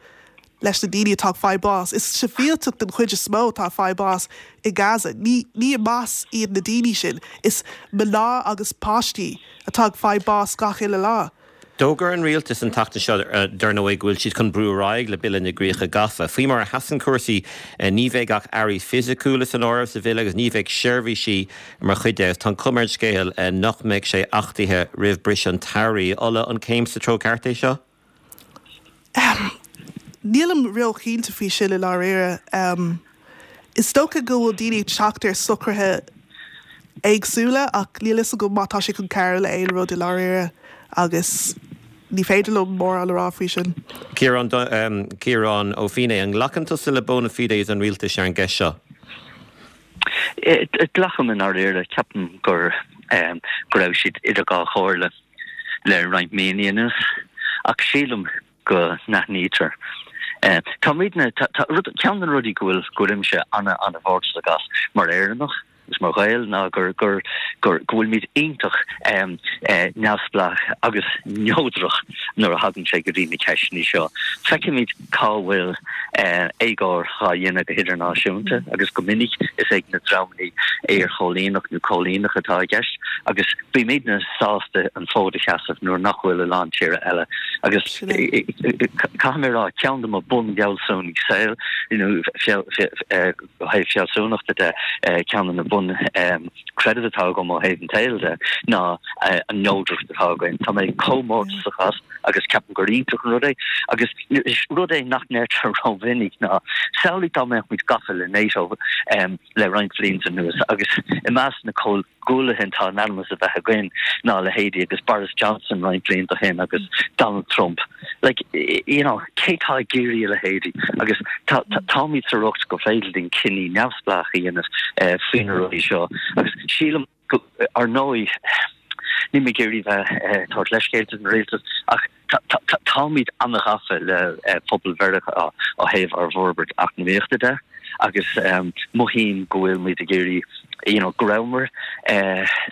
leis na daoine atá ag fáil bás. Is sibhialtaigh den chuid is mó atá ag fáil bás i Gaza. Ní ní Hamas iad na daoine sin. Is mná agus páistí atá ag fáil bás gach uile lá. D'fhógair an rialtas an tseachtain seo, dar ndóigh, go bhfuil siad chun brú ar aghaidh le Bille na gCríocha Gafa. Faoi mar a sheasann cúrsaí, ní bheidh ach earraí fisiciúla san áireamh sa bhille agus ní bheidh seirbhísí mar chuid de. Tá an chuma ar an scéal nach mbeidh sé achtaithe roimh briseadh an tsamhraidh. Ola, an céim sa treo ceart é seo? Nílim ró-chinnte faoi sin i ndáiríre. Is dócha go bhfuil daoine ag teacht ar socruithe éagsúla ach níl fhios agam má tá sé chun cabhrú le aon rud i ndáiríre agus ní féidir liom mórán a rá faoi sin. Ciarán, Ciarán Ó Feinneadha, an nglacann tusa le bona fides an rialtais ar an gceist seo? Glacaim i ndáiríre. Ceapaim gur go raibh siad idir dhá chomhairle le roinnt míonna anuas ach sílim go n-aithnítear. Táimidne, tá, tá, rud, ceann de na rudaí go bhfuil, go bhfuilimse ana, ana-mhórtasach as mar Éireannach agus mar Ghael ná gur, gur, gur, go bhfuilimid iontach neamhspleách agus neodrach nuair a thagann sé go dtí na ceisteanna seo. Feicimid cá bhfuil éagóir dhá dhéanamh go hidirnáisiúnta agus go minic is ag na dreamanna iarchóilíneach nó cóilíneach atá i gceist agus bímidne sásta an fód a sheasamh nuair nach bhfuil a lán tíortha eile agus caithfidh mé a rá ceann de mo bunfhealsúnaí saoil nó ó thaobh fealsúnachta de ceann de na bun creidimh atá agam ó thaobh an tsaoil de ná an neodracht atá againn. Tá mé chomh mórtasach as agus ceapaim gur iontach an rud é agus is rud é nach ndeirtear rómhinic ná samhlaigh dá mbeadh muid gafa le NATO le roinnt blianta anuas agus i measc na comhghuaillithe atá in ainm is a bheith againn ná leithéidí agus Boris Johnson roinnt blianta ó shin agus Donald Trump. Like, you know, cé tá ag iarraidh a leithéidí? Agus tá, táimid sa riocht gur féidir linn cinní neamhspleách a dhéanamh faoi na rudaí seo agus sílim go, ar ndóigh, níl mé ag iarraidh bheith ag tabhairt leithscéalta don rialtas ach Táimid an-ghafa le pobal Mheiriceá ó thaobh ár bhforbairt eacnamaíochta de agus mothaím go bhfuil muid ag iarraidh, you know, go rabhamar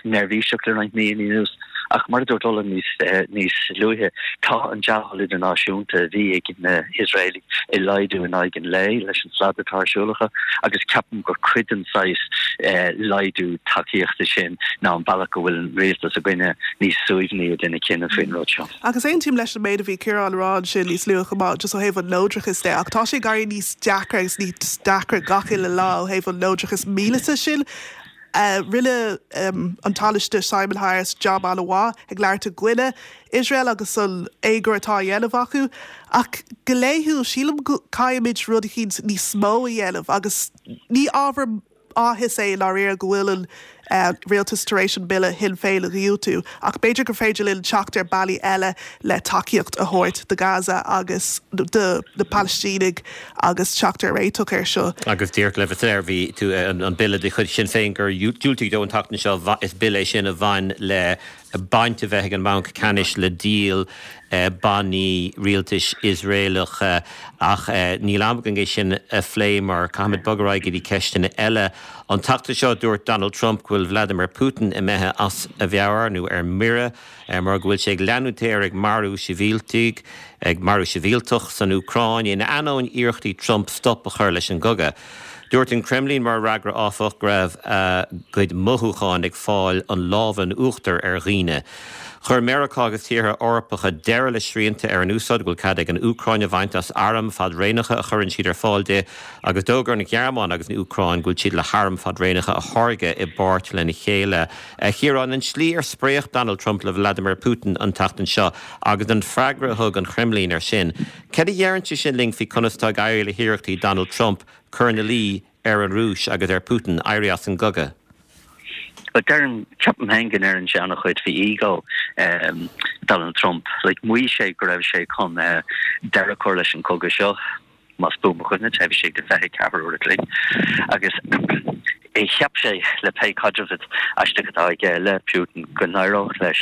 neirbhíseach le roinnt míonna anuas ach mar a dúirt Ola níos níos luaithe, tá an dea-thoil idirnáisiúnta a bhí ag na hIosraelaigh ag laghdú in aghaidh an lae leis an slad atá ar siúl acu agus ceapaim gur cuid den saghas laghdú tacaíochta sin ná an bealach go bhfuil an rialtas againne níos suaimhní ag déanamh cinneadh faoin rud seo. Agus aontaím leis an méid a bhí Ciarán a rá ansin níos luaithe chomh maith, just ó thaobh an neodrachais de, ach tá sé ag éirí níos deacra agus níos deacra gach uile lá ó thaobh an neodrachas míleata sin. Rinne an Tánaiste Simon Harris jab an-mhaith ag labhairt i gcoinne Iosrael agus an éagóir atá á dhéanamh acu, ach go laethúil sílim go caithfimid rud eicínt níos mó a dhéanamh agus ní ábhar áthais é i ndáiríre go bhfuil an rialtas tar éis an bille Shinn Féin a dhiúltú, ach b'fhéidir gur féidir linn teacht ar bealaí eile le tacaíocht a thabhairt do Gaza agus do na Palaistínigh agus teacht ar réiteach air seo. Agus díreach le bheith soiléir, bhí tú, an bille de chuid Shinn Féin gur diúltaíodh dó an tseachtain seo, is bille é sin a bhain le baint a bheith ag an mBanc Ceannais le díol bannaí rialtais Iosraelacha ach níl am againn é sin a phlé mar caithfimid bogadh ar aghaidh go dtí ceisteanna eile. An tseachtain seo dúirt Donald Trump go bhfuil Vladimir Putin imithe as a mheabhair nó ar mire mar go bhfuil sé ag leanúint air ag marú sibhialtaigh ag marú sibhialtach san Úcráin in ainneoin iarrachtaí Trump stop a chur leis an gcogadh. Dúirt an Kremlin mar fhreagra, áfach, go raibh a gcuid mothúchán ag fáil an lámh in uachtar ar dhaoine. Chuir Meiriceá agus tíortha Eorpacha deireadh le srianta ar an úsáid go bhfuil cead ag an Úcráin a bhaint as airm fadréanacha a chuireann siad ar fáil di agus d'fhógair an Ghearmáin agus an Úcráin go bhfuil siad le hairm fadréanacha a tháirgeadh i bpáirt lena chéile. A Chiaráin, an tslí ar spréach Donald Trump le Vladimir Putin an tseachtain seo agus an freagra a thug an Chreimlín air sin, Cad a deireann sé sin linn faoi conas atá ag éirí le hiarrachtaí Donald Trump cur ina luí ar an Rúis agus ar Putin éirí as an gcogadh? Bhuel, deirim, ceapaim féin go ndeireann sé an-chuid faoi ego Donald Trump. Like, mhaígh sé go raibh sé chun deireadh a chur leis an chogadh seo, más buan mo chuimhne, taobh istigh de 24 uair a chloig. Agus cheap sé, le pé caidreamh aisteach atá aige le Putin, go n-éireodh leis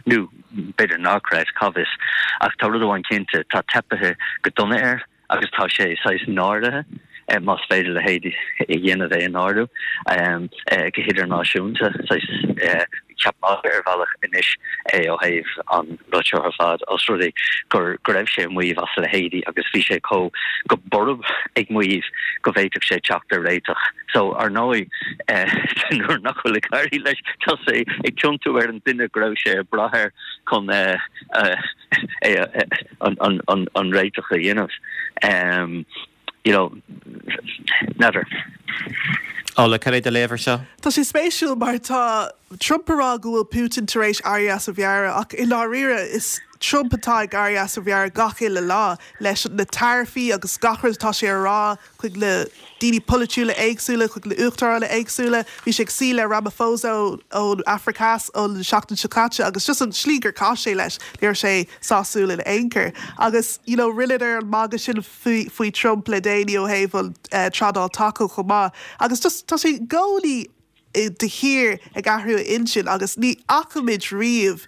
nó, B'fhéidir nár chreid, cá bhfios. Ach tá rud amháin cinnte, tá teipithe go dona air agus tá sé saghas náirithe. más féidir a leithéid a dhéanamh é a náiriú go hidirnáisiúnta. Saghas ceap magaidh ar bhealach anois é ó thaobh an rud seo ar fad, os rud é go raibh sé ag maíomh as a leithéidí agus bhí sé chomh go borb ag maíomh go bhféadfadh sé teacht ar réiteach. So, ar ndóigh, nuair nach bhfuil ag éirí leis, tá sé ag tiontú ar an duine go raibh sé ag brath air chun an réiteach a dhéanamh. You know, n'fheadar. Ola, cad é do léamh ar seo? Tá sé spéisiúil mar tá Trump ag rá go bhfuil Putin tar éis éirí as a mheabhair ach i ndáiríre is Trump atá ag éirí as a mheabhair gach uile lá leis na taraifí agus gach rud atá sé a rá chuig na daoine polaitiúla éagsúla, chuig na uachtaráin éagsúla. Bhí sé ag suí le Ramaphosa ón Afraic Theas an seachtain seo caite agus just an slí gur chaith sé leis, ní raibh sé sásúil in aon chor. Agus you know rinneadar an magadh sin faoi faoi Trump le déanaí ó thaobh an trádáil taco chomh maith. Agus just tá sé i gcónaí de shíor ag athrú a intinn agus ní fhaca muid riamh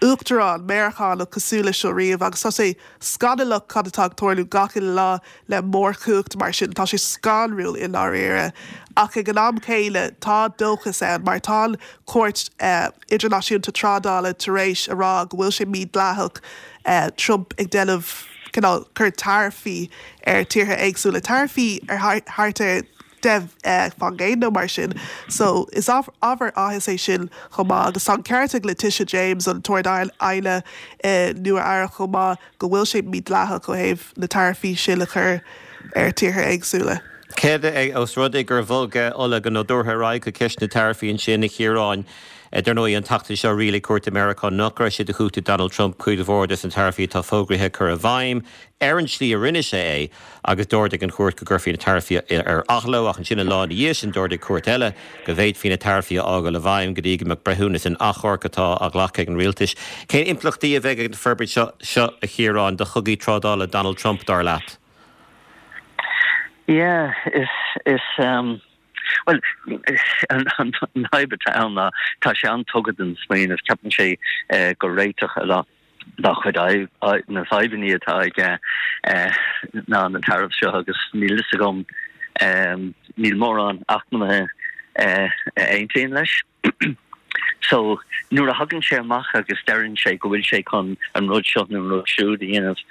Uachtarán Meiriceánach cosúil leis seo riamh agus tá sé scannalach cad atá ag tarlú gach uile lá le mórchumhacht mar sin. Tá sé scanrúil i ndáiríre. Ach ag an am céanna tá dóchas ann mar tá an Chúirt Idirnáisiúnta Trádála tar éis a rá go bhfuil sé mídhleathach Trump ag déanamh cineál cur taraifí ar tíortha éagsúla, taraifí ar thart ar 10% nó mar sin. So, is ábhar áthais é sin chomh maith. Agus tá an ceart ag Letitia James, an tArd-Aighne i Nua Eabhrac chomh maith, go bhfuil sé mídhleathach ó thaobh na taraifí sin a chur ar tíortha éagsúla. Céard é, ós rud é gur bhog Ola go nádúrtha ar aghaidh chuig ceist na taraifí ansin, a Chiaráin, dar ndóigh, an tseachtain seo rialaigh cúirt i Meiriceá nach raibh sé de chumhacht ag Donald Trump cuid mhór des na taraifí atá fógraithe a chur i bhfeidhm. ar an tslí a rinne sé é agus d'ordaigh an chúirt go gcuirfí na taraifí ar athló ach ansin an lá ina dhiaidh sin d'ordaigh cúirt eile go bhféadfaí na taraifí a fhágáil i bhfeidhm go dtí go mbeadh breithiúnas in achomharc atá á ghlacadh ag an rialtas. Cén impleachtaí a bheidh ag an forbairt seo seo, a Chiaráin, do chogaí trádála Donald Trump, dar leat? Yeah, is, is, um, bhuel, an fhadhb atá ann ná tá sé an-tugtha don smaoineamh, ceapann sé gur réiteach a lá. dá chuid na fadhbanna atá aige ná na tariffs seo agus níl fhios agam, níl mórán eacnamaithe a aontaíonn leis. So nuair a thagann sé amach agus deireann sé go bhfuil sé chun an rud seo nó an rud siúd a dhéanamh,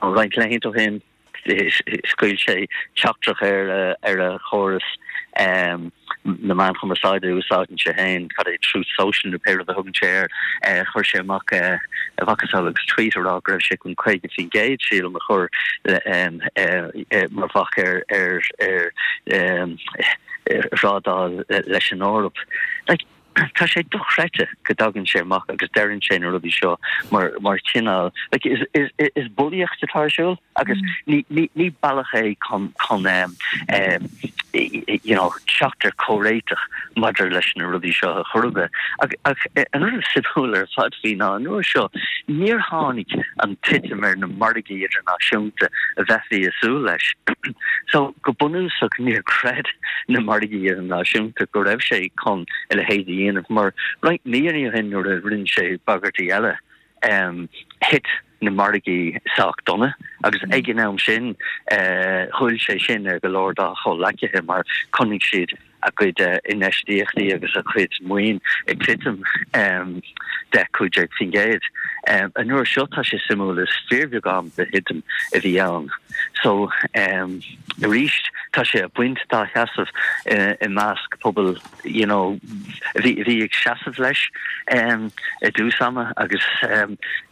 roinnt laethanta ó shin, Scaoil sé teachtaireacht ar a chóras na meáin chumarsáide a úsáideann sé féin, cad é, Truth Social nó pé rud a thugann sé air. Chuir sé amach a mhacasamhail agus tweet a rá go raibh sé chun 50%, sílim, a chur mar bhac ar thrádáil leis an Eoraip. Tá sé dochreidte go dtagann sé amach agus deireann sé na rudaí seo mar mar chineál like is is is bulaíocht atá ar siúl agus ní ní ní bealach é chun chun um, um, you know, teacht ar chomhréiteach maidir leis na rudaí seo a chur aige. Ach ach an rud is suimiúla ar fad faoi ná an uair seo níor tháinig an titim ar na margaí idirnáisiúnta a bheifí ag súil leis. So go bunúsach níor chreid na margaí idirnáisiúnta go raibh sé chun a leithéid a dhéanamh mar roinnt míonna ó shin nuair a rinne sé bagairtí eile thit na margaí sách dona agus ag an am sin ghoill sé sin ar go leor dá chomhleacaithe mar chonaic siad a gcuid infheistíochtaí agus a chuid maoin ag titim 10, 15%. An uair seo tá sé suimiúil is fíorbheagán de thitim a bhí ann. So arís tá sé ag baint dá sheasamh i measc pobal you know a bhí a bhí ag seasamh leis i dtús ama agus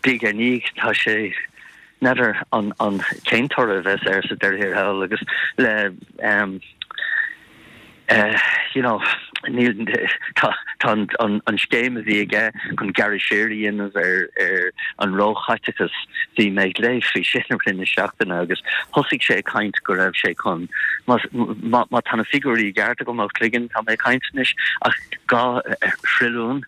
diaidh ar ndiaidh tá sé n'fheadar an an cén toradh a bheas air sa deireadh thiar thall agus le you know, níl, tá, tá an, an, an scéim a bhí aige chun gearradh siar a dhéanamh ar, ar an róchaiteachas, bhí mé ag léamh faoi sin i rith na seachtaine agus thosaigh sé ag caint go raibh sé chun, má, má, má tá na figiúirí i gceart agam ó chloigeann, tá mé ag caint anois, ach 2 thrilliún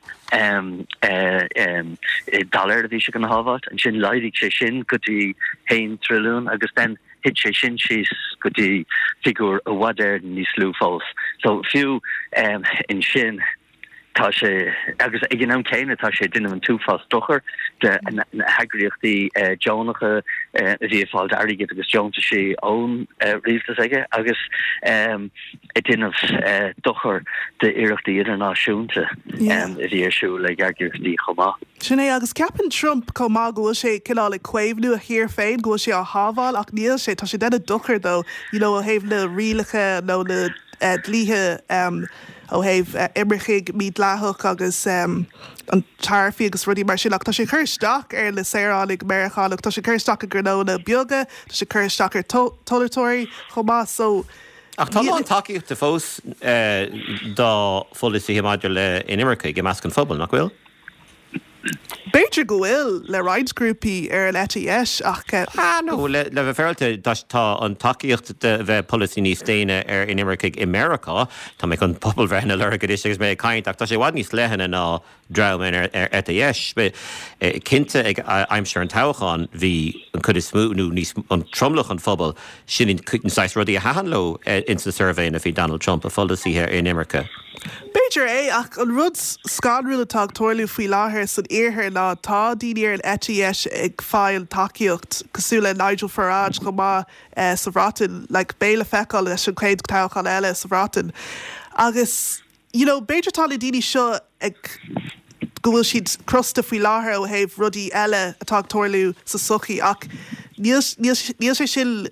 dollar a bhí sé chun a shábháilt, ansin laghdaigh sé sin go dtí 1 trilliún agus then thit sé sin síos go dtí figiúr i bhfad Éireann níos lú fós. So fiú ansin. Tá sé, agus ag an am céanna tá sé ag déanamh an t-uafás dochair do na heagraíochtaí deonacha a bhí ag fáil airgid agus deontaisí ón rialtas aige agus ag déanamh dochair d'iarrachtaí idirnáisiúnta a bhí ar siúl ag eagraíochtaí chomh maith. Sin é, agus ceapann Trump chomh maith go bhfuil sé cineál ag caomhnú a thír féin, go bhfuil sé á shábháil ach níl sé, tá sé ag déanamh dochair dó, you know, ó thaobh na rialacha nó na dlíthe. ó thaobh imircigh mídhleathach agus an taraifí agus rudaí mar sin ach tá sé ag cur isteach ar na saoránaigh Meiriceánach, tá sé ag cur isteach ar ghnónna beaga, tá sé ag cur isteach ar tomhaltóirí chomh maith so Ach tá a lán tacaíochta fós dá pholasaithe maidir le inimircigh i measc an phobail, nach bhfuil? B'fhéidir go bhfuil le roinnt grúpaí ar an eite dheis ach. Ah no, le bheith féaráilte, tá an tacaíocht do bheith polasaí níos déine ar inimircigh i Meiriceá, tá mé chun pobalbhreitheanna a lorg anois agus mé ag caint, ach tá sé i bhfad níos leithne ná dream ar an eite dheis. Cinnte ag aimsir an toghcháin bhí an chuid is mó, nó níos, an tromlach an phobail, sin an saghas rudaí a thaitin leo ins na suirbhéanna faoi Donald Trump, a pholasaithe ar inimirce. B'fhéidir é, ach an rud scanrúil atá ag tarlú faoi láthair san iarthar ná tá daoine ar an eite dheis ag fáil tacaíocht, cosúil le Nigel Farage chomh maith sa Bhreatain, like beidh le feiceáil leis an chéad toghchán eile sa Bhreatain. Agus you know b'fhéidir tá na daoine seo ag go bhfuil siad crosta faoi láthair ó thaobh rudaí eile atá ag tarlú sa sochaí ach níl níl sé sin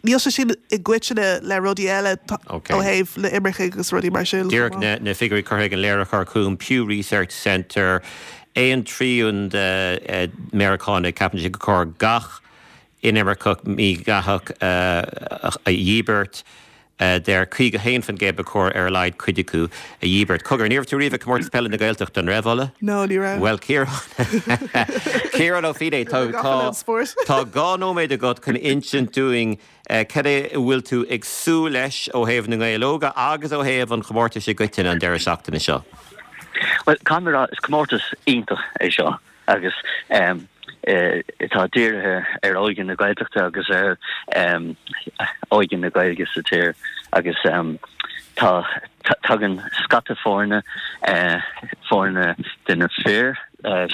Níl sé sin i gcoitinne le rudaí eile ó thaobh na imircigh agus rudaí mar sin. Díreach na figiúirí curtha ag an léiritheoir chugam, Pew Research Center, aon trian de Meiriceánaigh, ceapann siad gur chóir gach inimirceach mídhleathach a dhíbirt. Deir 51% ba chóir ar a laghad cuid acu a dhíbirt. Cogar, ní raibh tú riamh ag Comórtas Peile na Gaeltachta, an raibh, Ola? No, ní raibh. Bhuel, Ciarán, Ciarán Ó Feinneadha, tá, tá, tá 2 nóiméad agat chun insint dúinn cad é a bhfuil tú ag súil leis ó thaobh na nGael Óga agus ó thaobh an chomórtais i gcoitinne an deireadh seachtaine seo. Bhuel, caithfidh mé a rá, is comórtas iontach é seo. agus atá dírithe ar óige na Gaeltachta agus ar óige na Gaeilge sa tír agus tá tagann scata foirne, foirne de na fir,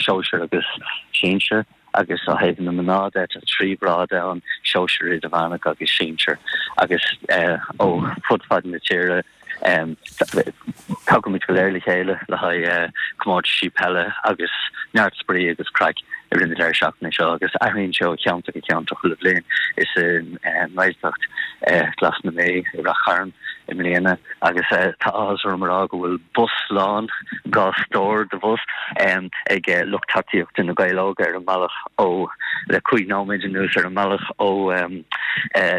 sóisir agus sinsir agus ó thaobh na mná de tá 3 ghrád ann, sóisir, idirmheánach agus sinsir agus ó fud fad na tíre. Tagaimid go léir le chéile le haghaidh comórtaisí peile agus neart spraoi agus craic i rith na deireadh seachtaine seo agus athraíonn sé ó cheantar go ceantar chuile bhliain. Is i nGaeltacht Ghlas na Mí i Rath Chairn i mbliana agus tá áthas orm a rá go bhfuil bus lán, 2 stór de bhus, ag lucht tacaíochta na Gaeil Óga ar an mbealach ó, le 5 nóiméad anuas ar an mbealach ó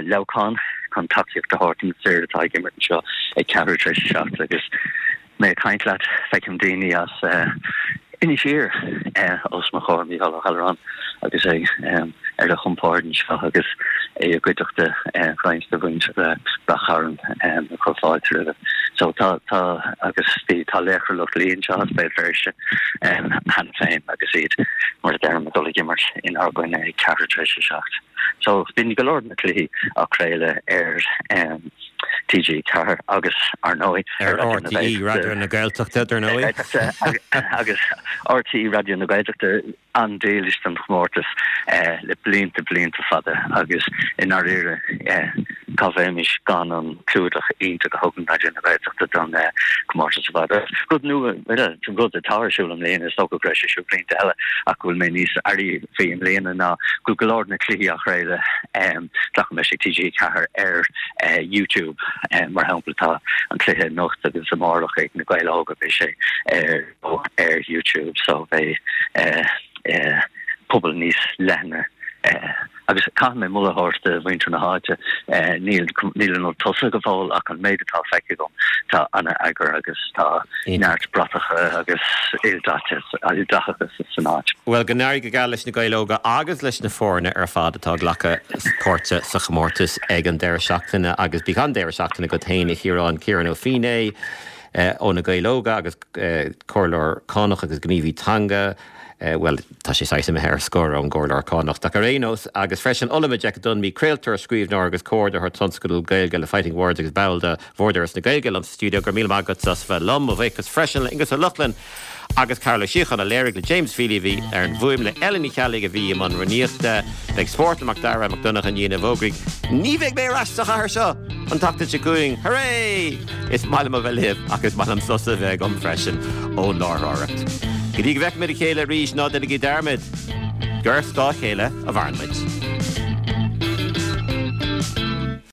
Leamhcán. chun tacaíocht a thabhairt do na fir atá ag imirt anseo ag ceathrú tar éis a 7 agus mé ag caint leat feicim daoine as Inis Oírr os mo chomhair, Mícheál Ó hAlluráin agus é ar a chompord anseo agus é i gcuideachta roinnt de mhuintir Rath Chairn ag cur fáilte roimhe. So tá, tá agus bhí, tá laochra Loch Lao anseo as Béal Feirste cheana féin agus iad mar a deirim ag dul ag imirt inár gcoinne ag ceathrú tar éis a 7. So bíonn go leor de na cluichí á craoladh ar TG4 agus, ar ndóigh, ar RTÉ Raidió na Gaeltachta, dar ndóigh. Agus RTÉ Raidió na Gaeltachta an-dílis don chomórtas le blianta, blianta fada agus i ndáiríre cá bheimis gan an clúdach iontach a thugann Raidió na Gaeltachta don chomórtas ar fad. Rud nua, rud atá ar siúl i mbliana, is dócha go raibh sé ar siúl blianta eile ach go bhfuil mé níos airí faoi i mbliana ná go bhfuil go leor de na cluichí á chraoladh, glacaim leis, ag TG4 ar YouTube. Mar shampla tá an cluiche anocht agus amárach ag na Gaeil Óga, beidh sé ar ar YouTube so beidh pobal níos leithne Agus caithfidh mé moladh a thabhairt do mhuintir na háite, níl níl an rud tosaithe go fóill ach an méid atá feicthe agam, tá an-eagar agus tá neart bratacha agus ildathachas san áit. Bhuel, go n-éirí go geal leis na Gaeil Óga agus leis na foirne ar fad atá ag glacadh páirte sa chomórtas ag an deireadh seachtaine agus bíodh an-deireadh seachtaine agat féin, a Chiaráin, Ciarán Ó Feinneadha ó na Gaeil Óga agus Comhairleoir Cánach agus gníomhaí teanga. Bhuel, tá sé saghas imithe ar scor ón gcomhairleoir cánach, ach ar aon nós, agus freisin Ola Majekodunmi, craoltóir, scríbhneoir agus comhordaitheoir tionscadal Gaeilge le Fighting Words agus ball de Bhord Fhoras na Gaeilge liom sa stiúideo. Go raibh míle maith agat as bheith liom. Mo bhuíochas freisin le Aonghus Ó Lochlainn agus Carl Ó Síocháin a léirigh, le James Feely a bhí ar an bhfuaim, le Ellen Ní Cheallaigh a bhí i mbun rúnaíochta. Beidh Spórt le Mac Dara Mac Donncha i ndiaidh an fhógraí. Ní bheidh mé ar ais sa chathair seo an tseachtain seo chugainn. Hooray! Is maith liom a bheith libh ach is maith liom sos a bheith agam freisin ón láithreoireacht. Go dtí go bhfeicfimid a chéile arís, ná déanaigí dearmad gur ar scáth a chéile a mhaireann muid.